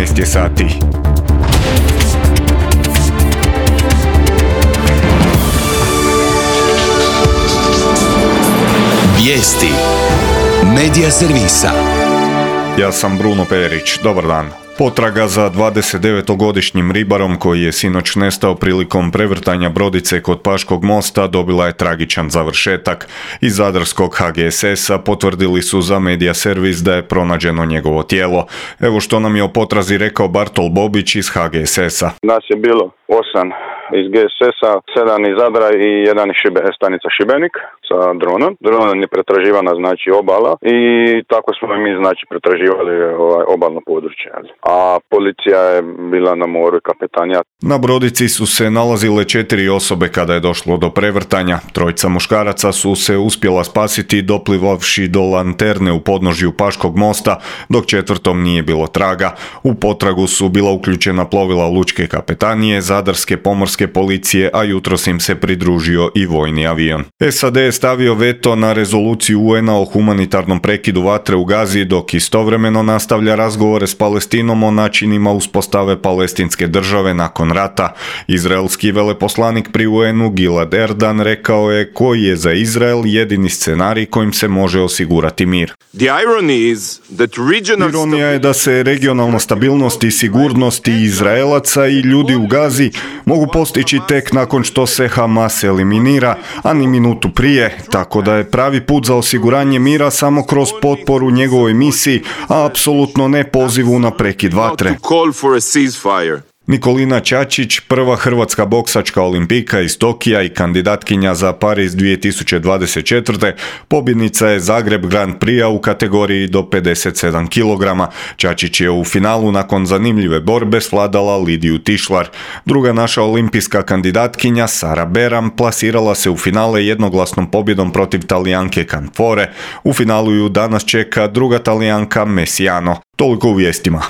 14 je sati. Vijesti Medija servisa. Ja sam Bruno Perić, dobar dan. Potraga za 29-godišnjim ribarom koji je sinoć nestao prilikom prevrtanja brodice kod Paškog mosta dobila je tragičan završetak. Iz zadarskog HGSS-a potvrdili su za Medija servis da je pronađeno njegovo tijelo. Evo što nam je o potrazi rekao Bartol Bobić iz HGSS-a. Nas je bilo 8 iz GSS-a, 7 iz Zadra i 1 iz stanica Šibenik sa dronom. Dronom je pretraživana znači obala i tako smo mi znači pretraživali obalno područje. A policija je bila na moru i kapetanija. Na brodici su se nalazile 4 osobe kada je došlo do prevrtanja. 3 muškaraca su se uspjela spasiti doplivavši do lanterne u podnožju Paškog mosta, dok 4. nije bilo traga. U potragu su bila uključena plovila lučke kapetanije, zadarske pomorske policije, a jutros im se pridružio i vojni avion. SAD je stavio veto na rezoluciju UN-a o humanitarnom prekidu vatre u Gazi, dok istovremeno nastavlja razgovore s Palestinom o načinima uspostave palestinske države nakon rata. Izraelski veleposlanik pri UN-u Gilad Erdan rekao je koji je za Izrael jedini scenarij kojim se može osigurati mir. Ironija je da se regionalna stabilnost i sigurnost i Izraelaca i ljudi u Gazi mogu postići tek nakon što se Hamas eliminira, a ni minutu prije, tako da je pravi put za osiguranje mira samo kroz potporu njegovoj misiji, a apsolutno ne pozivu na prekid vatre. Nikolina Čačić, prva hrvatska boksačka olimpijka iz Tokija i kandidatkinja za Pariz 2024. pobjednica je Zagreb Grand Prix u kategoriji do 57 kg. Čačić je u finalu nakon zanimljive borbe svladala Lidiju Tišlar. Druga naša olimpijska kandidatkinja Sara Beram plasirala se u finale jednoglasnom pobjedom protiv Talijanke Canfore. U finalu ju danas čeka druga Talijanka Messiano. Toliko u vijestima.